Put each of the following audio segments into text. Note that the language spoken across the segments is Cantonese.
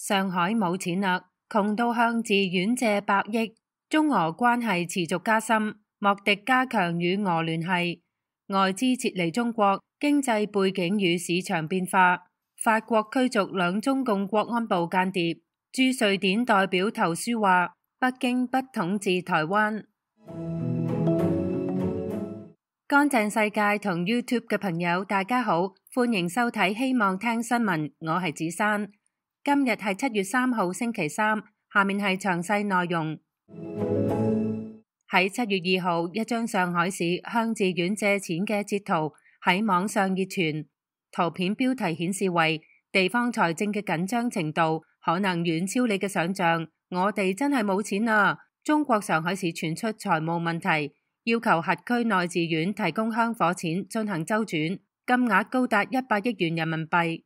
上海冇錢啦，窮到向寺院借百億，中俄關係持續加深，莫迪加強與俄聯繫，外資撤離中國，經濟背景與市場變化，法國驅逐兩中共國安部間諜，駐瑞典代表投書話北京不統治台灣。乾淨世界同 YouTube 嘅朋友大家好，歡迎收睇希望聽新聞，我係子珊。今日係7月3號星期三，下面係詳細內容。喺7月2號，一張上海市向寺院借錢嘅截圖喺網上熱傳，圖片標題顯示為地方財政嘅緊張程度可能遠超你嘅想象，我哋真係冇錢啊！中國上海市傳出財務問題，要求轄區內寺院提供香火錢進行周轉，金額高達100億元人民幣。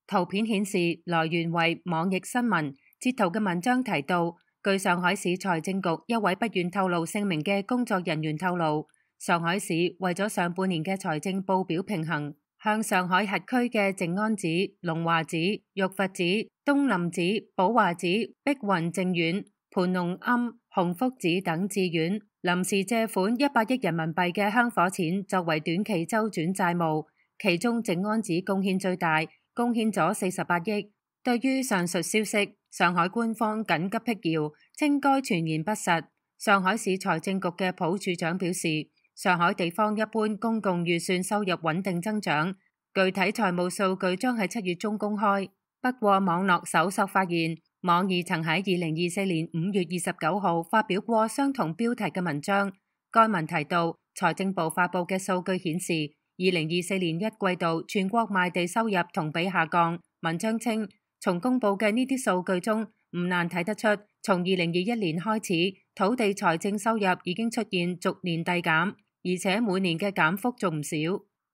圖片顯示來源為網易新聞，截圖嘅文章提到，據上海市財政局一位不願透露姓名嘅工作人員透露，上海市為咗上半年嘅財政報表平衡，向上海轄區嘅靜安寺、龍華寺、玉佛寺、東林寺、寶華寺、碧雲淨院、盤龍庵、洪福寺等寺院臨時借款100億人民幣嘅香火錢作為短期周轉債務，其中靜安寺貢獻最大，貢獻咗48億。對於上述消息，上海官方緊急闢謠，稱該傳言不實。上海市財政局嘅蒲處長表示，上海地方一般公共預算收入穩定增長，具體財務數據將喺7月中公開。不過網絡搜索發現，網易曾喺2024年5月29號發表過相同標題嘅文章。該文提到，財政部發佈嘅數據顯示，2024年1季度全國賣地收入同比下降。文章稱，從公佈嘅呢啲數據中，唔難睇得出，從2021年開始，土地財政收入已經出現逐年遞減，而且每年嘅減幅仲唔少。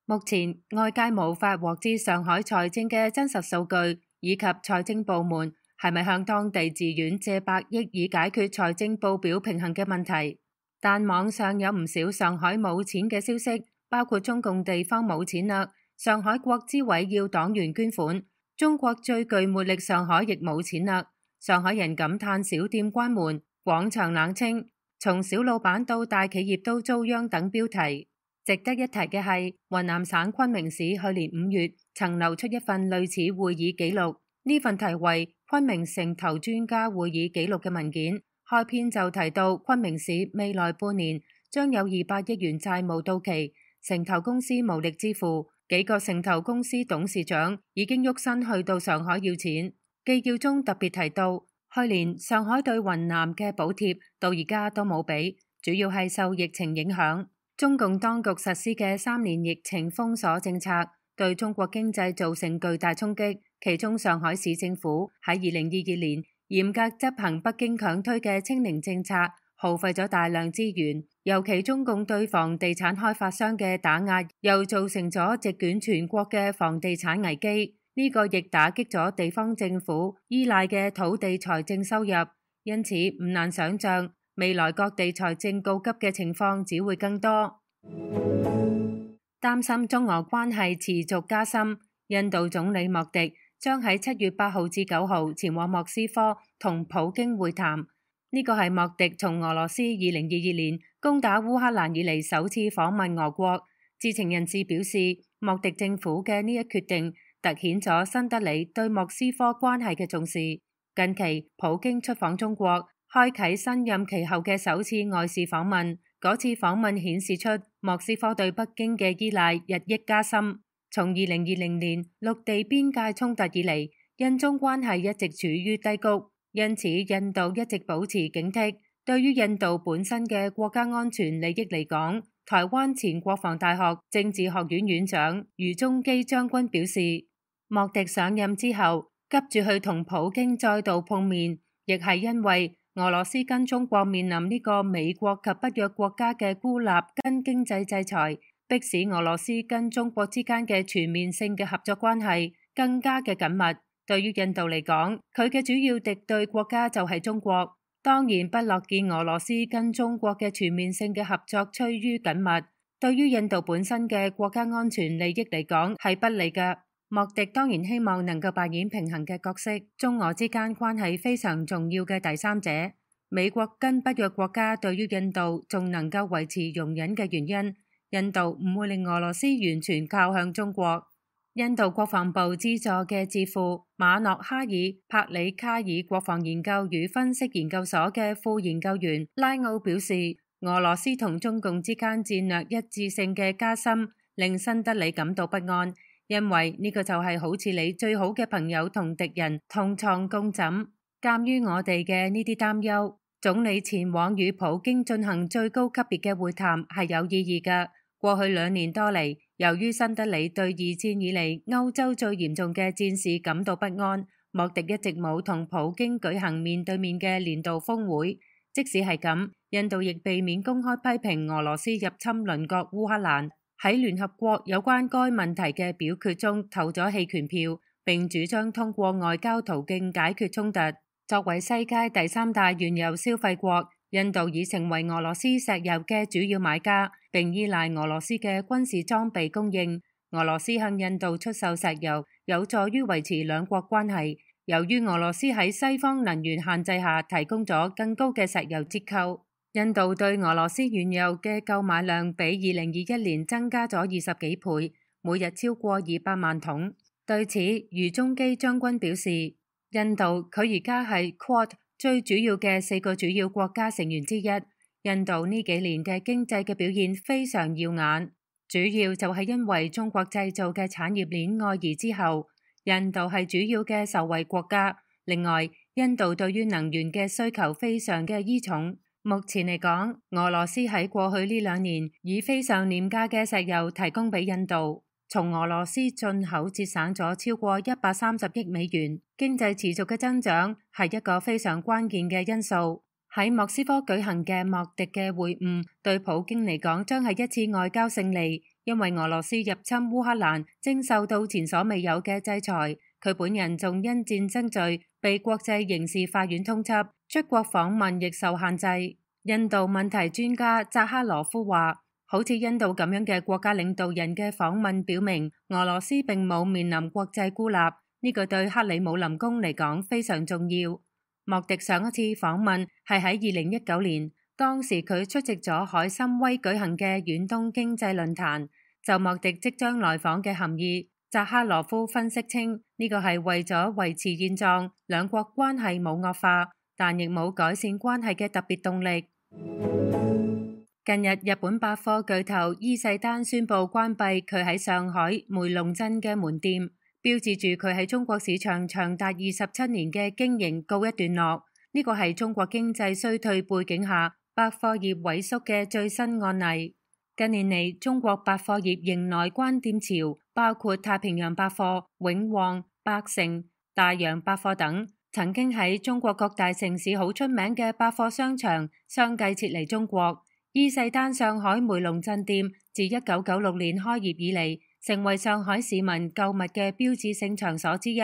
目前外界無法獲知上海財政嘅真實數據，以及財政部門係咪向當地寺院借百億以解決財政報表平衡嘅問題。但網上有唔少上海冇錢嘅消息，包括中共地方冇錢啦，上海國資委要黨員捐款，中國最具魅力上海亦冇錢啦，上海人感嘆小店關門，廣場冷清，從小老闆到大企業都遭殃等標題。值得一提嘅係，雲南省昆明市去年5月曾流出一份類似會議記錄，呢份題為《昆明城投專家會議記錄》嘅文件，開篇就提到昆明市未來半年將有200億元債務到期，城投公司無力支付，幾個城投公司董事長已經喐身去到上海要錢。記要中特別提到，去年上海對雲南嘅補貼到而家都冇俾，主要係受疫情影響。中共當局實施嘅3年疫情封鎖政策對中國經濟造成巨大衝擊，其中上海市政府喺2022年嚴格執行北京強推嘅清零政策，耗費咗大量資源，尤其中共對房地產開發商嘅打壓，又造成咗席捲全國嘅房地產危機。呢個亦打擊咗地方政府依賴嘅土地財政收入，因此唔難想象未來各地財政告急嘅情況只會更多。擔心中俄關係持續加深，印度總理莫迪將喺7月8號至9號前往莫斯科同普京會談。呢個係莫迪從俄羅斯2022年攻打烏克蘭以嚟首次訪問俄國。知情人士表示，莫迪政府嘅呢一決定凸顯咗新德里對莫斯科關係嘅重視。近期普京出訪中國，開啟新任期後嘅首次外事訪問。嗰次訪問顯示出莫斯科對北京嘅依賴日益加深。從2020年陸地邊界衝突以嚟，印中關係一直處於低谷，因此印度一直保持警惕。對於印度本身嘅國家安全利益嚟講，台灣前國防大學政治學院院長余宗基將軍表示，莫迪上任之後急住去同普京再度碰面，亦係因為俄羅斯跟中國面臨呢個美國及北約國家嘅孤立跟經濟制裁，迫使俄羅斯跟中國之間嘅全面性嘅合作關係更加嘅緊密。對於印度嚟講，佢嘅主要敵對國家就係中國，當然不樂見俄羅斯跟中國嘅全面性嘅合作趨於緊密。對於印度本身嘅國家安全利益嚟講係不利嘅。莫迪當然希望能夠扮演平衡嘅角色，中俄之間關係非常重要嘅第三者。美國跟北約國家對於印度仲能夠維持容忍嘅原因，印度唔會令俄羅斯完全靠向中國。印度國防部資助嘅智庫馬諾哈爾帕里卡爾國防研究與分析研究所嘅副研究員拉奧表示，俄羅斯同中共之間戰略一致性嘅加深令新德里感到不安，因為呢個就係好似你最好嘅朋友同敵人同床共枕。鑒於我哋嘅呢啲擔憂，總理前往與普京進行最高級別嘅會談係有意義嘅。過去2年多嚟，由於新德里對2戰以嚟歐洲最嚴重嘅戰事感到不安，莫迪一直冇同普京舉行面對面嘅年度峰會。即使係咁，印度亦避免公開批評俄羅斯入侵鄰國烏克蘭，喺聯合國有關該問題嘅表決中投咗棄權票，並主張通過外交途徑解決衝突。作為世界第3大原油消費國，印度已成為俄羅斯石油嘅主要買家，並依賴俄羅斯嘅軍事裝備供應。俄羅斯向印度出售石油，有助於維持兩國關係。由於俄羅斯喺西方能源限制下提供咗更高嘅石油折扣，印度對俄羅斯原油嘅購買量比2021年增加咗20幾倍，每日超過200萬桶。對此，余中基將軍表示，印度佢而家係 Quad 最主要嘅4個主要國家成員之一。印度呢幾年嘅經濟嘅表現非常耀眼，主要就係因為中國製造嘅產業鏈外移之後，印度係主要嘅受惠國家。另外，印度對於能源嘅需求非常嘅依重。目前嚟講，俄羅斯喺過去呢2年以非常廉價嘅石油提供俾印度，從俄羅斯進口節省咗超過130億美元。經濟持續嘅增長係一個非常關鍵嘅因素。喺莫斯科舉行嘅莫迪嘅會晤，對普京嚟講將係一次外交勝利，因為俄羅斯入侵烏克蘭正受到前所未有嘅制裁，佢本人仲因戰爭罪被國際刑事法院通緝，出國訪問亦受限制。印度問題專家扎哈羅夫話，好似印度咁樣嘅國家領導人嘅訪問表明，俄羅斯並冇面臨國際孤立，呢個對克里姆林宮嚟講非常重要。莫迪上一次訪問係喺2019年，當時佢出席咗海參崴舉行嘅遠東經濟論壇。就莫迪即將來訪嘅含義，扎哈羅夫分析稱，呢個係為咗維持現狀，兩國關係冇惡化，但亦冇改善關係嘅特別動力。近日，日本百貨巨頭伊勢丹宣布關閉佢喺上海梅龍鎮嘅門店，標誌住佢喺中國市場長達27年嘅經營告一段落。呢個係中國經濟衰退背景下百貨業萎縮嘅最新案例。近年嚟，中國百貨業迎來關店潮，包括太平洋百貨、永旺、百盛、大洋百貨等。曾經喺中國各大城市好出名嘅百貨商場相繼撤離中國。伊勢丹上海梅龍鎮店自1996年開業以嚟，成為上海市民購物嘅標誌性場所之一。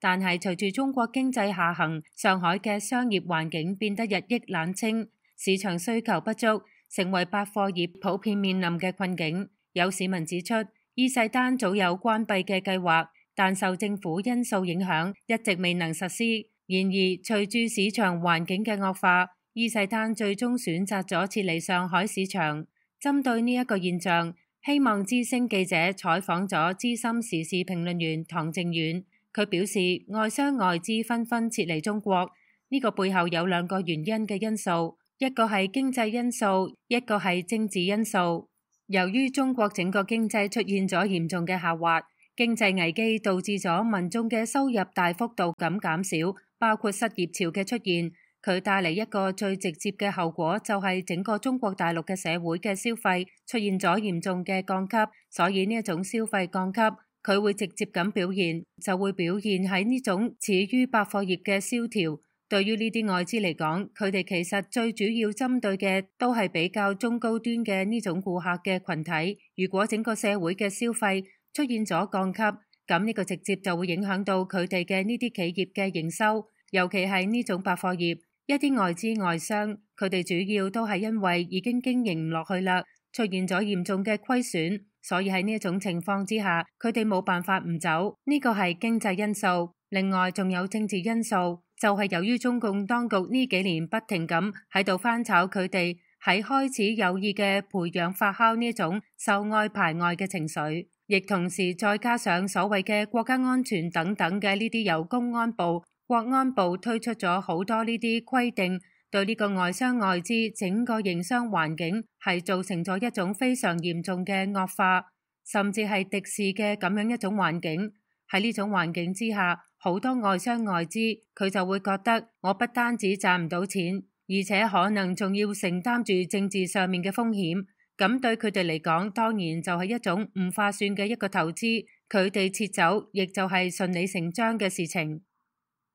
但係隨住中國經濟下行，上海嘅商業環境變得日益冷清，市場需求不足，成為百貨業普遍面臨嘅困境。有市民指出，伊勢丹早有關閉嘅計劃，但受政府因素影響，一直未能實施。然而，隨住市場環境嘅惡化，伊勢丹最終選擇咗撤離上海市場。針對呢一個現象，希望之聲記者採訪咗資深時事評論員唐靖遠，佢表示外商外資紛紛撤離中國，呢個背後有2個原因嘅因素，一個係經濟因素，一個係政治因素。由於中國整個經濟出現咗嚴重嘅下滑，經濟危機導致咗民眾嘅收入大幅度咁減少，包括失業潮嘅出現。佢帶嚟一個最直接嘅後果，就係整個中國大陸嘅社會嘅消費出現咗嚴重嘅降級，所以呢一種消費降級，佢會直接咁表現，就會表現喺呢種始於百貨業嘅蕭條。對於呢啲外資嚟講，佢哋其實最主要針對嘅都係比較中高端嘅呢種顧客嘅群體。如果整個社會嘅消費出現咗降級，咁呢個直接就會影響到佢哋嘅呢啲企業嘅營收，尤其係呢種百貨業。一啲外資外商，佢哋主要都係因為已經經營唔落去啦，出現咗嚴重嘅虧損，所以喺呢一種情況之下，佢哋冇辦法唔走。呢個係經濟因素，另外仲有政治因素，就係由於中共當局呢幾年不停咁喺度翻炒佢哋，喺開始有意嘅培養發酵呢種受愛排外嘅情緒，亦同時再加上所謂嘅國家安全等等嘅呢啲由公安部、國安部推出咗好多呢啲規定，對呢個外商外資整個營商環境係造成咗一種非常嚴重嘅惡化，甚至係敵視嘅咁樣一種環境。喺呢種環境之下，好多外商外資佢就會覺得我不單止賺唔到錢，而且可能仲要承擔住政治上面嘅風險，咁對佢哋嚟講，當然就係一種唔划算嘅一個投資。佢哋撤走，亦就係順理成章嘅事情。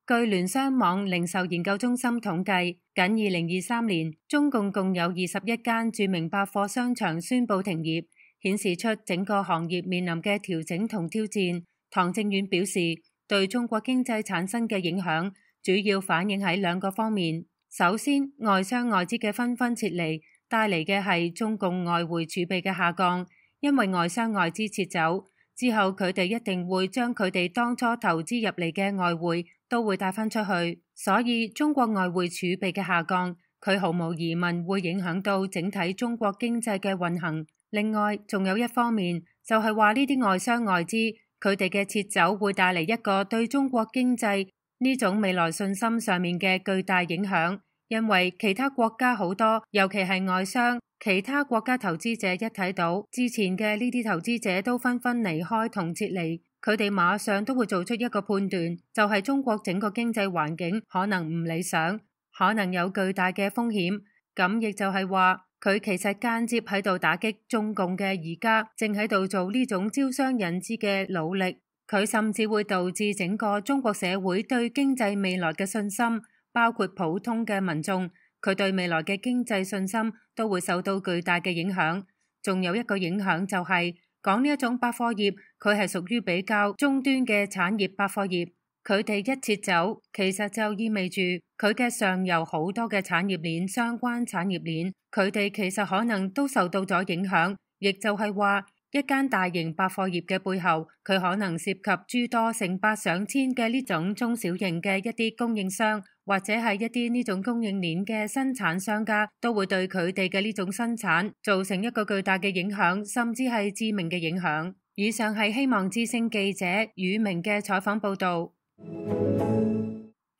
據聯商網零售研究中心統計，僅2023年，中共共有21間著名百貨商場宣布停業，顯示出整個行業面臨嘅調整同挑戰。唐正遠表示，對中國經濟產生嘅影響，主要反映喺兩個方面。首先，外商外資嘅紛紛撤離，帶嚟嘅係中共外匯儲備嘅下降，因為外商外資撤走之後，佢哋一定會將佢哋當初投資入嚟嘅外匯都會帶返出去，所以中國外匯儲備嘅下降，佢毫無疑問會影響到整體中國經濟嘅運行。另外，仲有一方面就係話呢啲外商外資佢哋嘅撤走會帶嚟一個對中國經濟呢種未來信心上面嘅巨大影響，因為其他國家好多，尤其係外商，其他國家投資者一睇到之前嘅呢啲投資者都紛紛離開同撤離，佢哋馬上都會做出一個判斷，就係中國整個經濟環境可能唔理想，可能有巨大嘅風險。咁亦就係話，佢其實間接喺度打擊中共嘅而家正喺度做呢種招商引資嘅努力。佢甚至會導致整個中國社會對經濟未來嘅信心，包括普通嘅民眾，佢對未來嘅經濟信心都會受到巨大嘅影響。仲有一個影響就係講呢一種百貨業，佢係屬於比較中端嘅產業百貨業，佢哋一撤走，其實就意味住佢嘅上游好多嘅產業鏈、相關產業鏈，佢哋其實可能都受到咗影響，亦就係話，一間大型百貨業嘅背後，佢可能涉及諸多成百上千嘅呢種中小型嘅一啲供應商，或者係一啲呢種供應鏈嘅生產商家，都會對佢哋嘅呢種生產造成一個巨大嘅影響，甚至係致命嘅影響。以上係希望之聲記者宇明嘅採訪報道。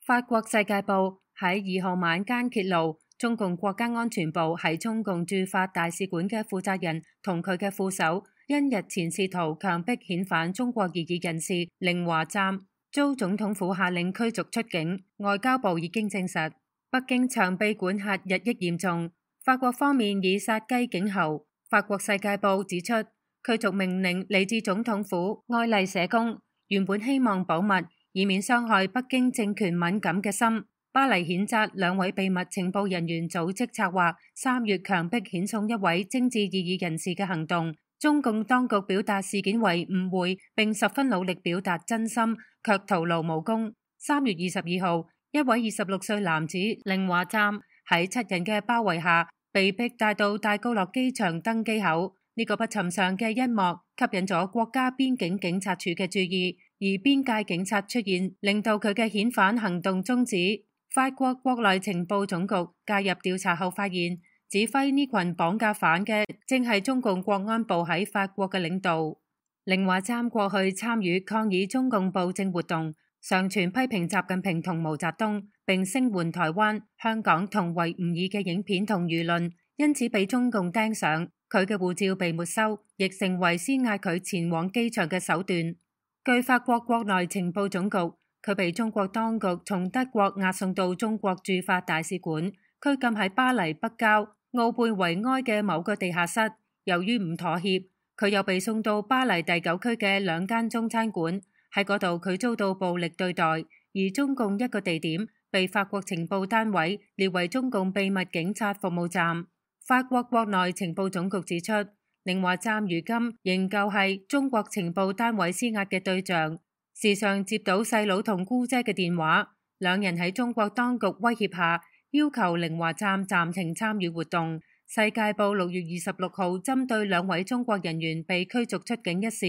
法國世界報喺2號晚間揭露，中共國家安全部喺中共駐法大使館嘅負責人同佢嘅副手，因日前試圖強迫遣返中國異議人士令華湛，遭總統府下令驅逐出境。外交部已經證實，北京長臂管轄日益嚴重，法國方面以殺雞儆猴。法國世界報指出，驅逐命令嚟自總統府愛麗舍宮，原本希望保密，以免傷害北京政權敏感嘅心。巴黎譴責2位秘密情報人員組織策劃3月強迫遣送一位政治異議人士嘅行動。中共當局表達事件為誤會，並十分努力表達真心，卻徒勞無功。3月22號，一位26歲男子令華湛喺7人嘅包圍下，被迫帶到戴高樂機場登機口。呢個不尋常嘅一幕吸引咗國家邊境警察處嘅注意，而邊界警察出現，令到佢嘅遣返行動終止。法國國內情報總局介入調查後發現，指揮呢群綁架犯嘅正係中共國安部喺法國嘅領導。令華湛過去參與抗議中共暴政活動，上傳批評習近平同毛澤東，並聲援台灣、香港同維吾爾嘅影片同輿論，因此被中共盯上。佢嘅護照被沒收，亦成為施壓佢前往機場嘅手段。據法國國內情報總局，佢被中國當局從德國押送到中國駐法大使館，拘禁喺巴黎北郊奧貝維埃嘅某個地下室。由於唔妥協，佢又被送到巴黎第9區嘅2間中餐館，喺嗰度佢遭到暴力對待。而中共一個地點被法國情報單位列為中共秘密警察服務站。法國國內情報總局指出，令華湛如今仍舊係中國情報單位施壓嘅對象，時常接到細佬同姑姐嘅電話，兩人喺中國當局威脅下要求令華湛暫停參與活動，世界報6月26號針對2位中國人員被驅逐出境一事，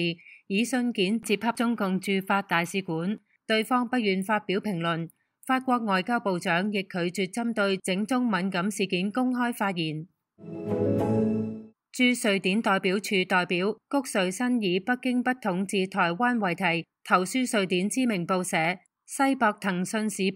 以信件接洽中共駐法大使館，對方不願發表評論。法國外交部長亦拒絕針對整宗敏感事件公開發言。駐瑞典代表處代表谷瑞新以北京不統治台灣為題，投書瑞典知名報社《西伯騰訊時報》，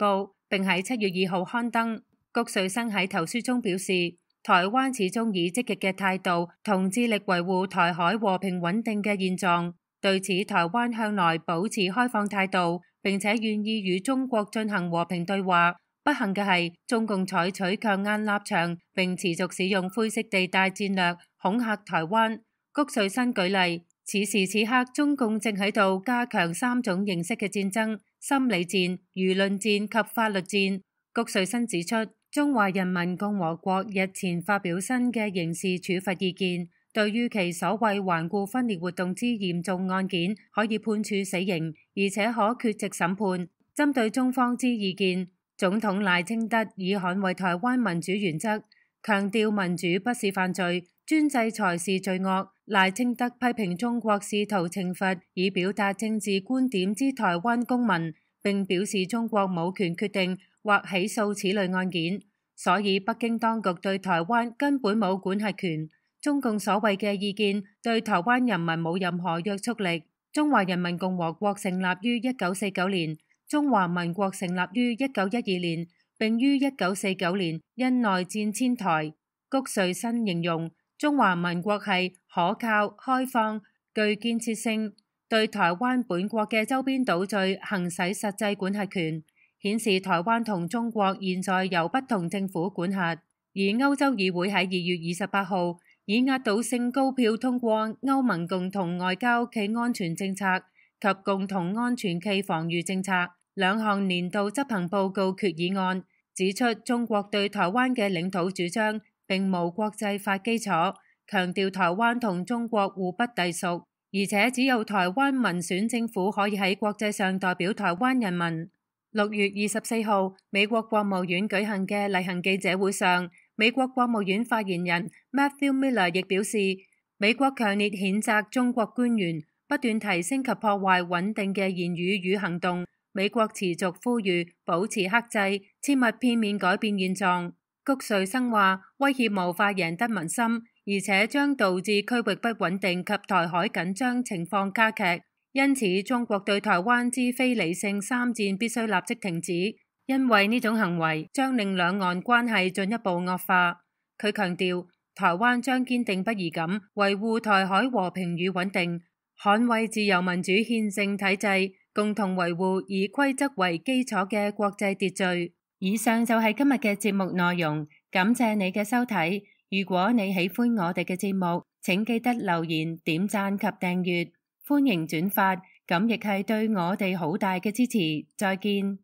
並喺7月2號刊登。谷瑞新喺投書中表示，台灣始終以積極嘅態度同致力維護台海和平穩定嘅現狀，對此台灣向來保持開放態度，並且願意與中國進行和平對話。不幸嘅係，中共採取強硬立場，並持續使用灰色地帶戰略恐嚇台灣。谷瑞新舉例，此時此刻中共正喺度加強3種形式嘅戰爭：心理戰、輿論戰及法律戰。谷瑞新指出，中華人民共和國日前發表新嘅刑事處罰意見，對於其所謂頑固分裂活動之嚴重案件，可以判處死刑，而且可缺席審判。針對中方之意見，總統賴清德以捍衛台灣民主原則，強調民主不是犯罪，專制才是罪惡。賴清德批評中國試圖懲罰以表達政治觀點之台灣公民，並表示中國冇權決定或起訴此類案件，所以北京當局對台灣根本冇管轄權。中共所謂嘅意見對台灣人民冇任何約束力。中華人民共和國成立於1949年。中華民國成立於1912年，並於1949年因內戰遷台。谷瑞新形容中華民國係可靠、開放、具建設性，對台灣本國嘅周邊島嶼行使實際管轄權，顯示台灣同中國現在由不同政府管轄。而歐洲議會喺2月28號以壓倒性高票通過歐盟共同外交暨安全政策及共同安全暨防禦政策2項年度執行報告決議案，指出中國對台灣嘅領土主張並無國際法基礎，強調台灣同中國互不隸屬，而且只有台灣民選政府可以喺國際上代表台灣人民。6月24號，美國國務院舉行嘅例行記者會上，美國國務院發言人 Matthew Miller 亦表示，美國強烈譴責中國官員不斷提升及破壞穩定嘅言語與行動。美國持續呼籲保持克制，切勿片面改變現狀。谷瑞新話，威脅無法贏得民心，而且將導致區域不穩定及台海緊張情況加劇。因此，中國對台灣之非理性3戰必須立即停止，因為呢種行為將令兩岸關係進一步惡化。佢強調，台灣將堅定不移咁維護台海和平與穩定，捍衛自由民主憲政體制，共同維護以規則為基礎嘅國際秩序。以上就係今日嘅節目內容，感謝你嘅收睇。如果你喜歡我哋嘅節目，請記得留言、點讚及訂閱，歡迎轉發，咁亦係對我哋好大嘅支持。再見。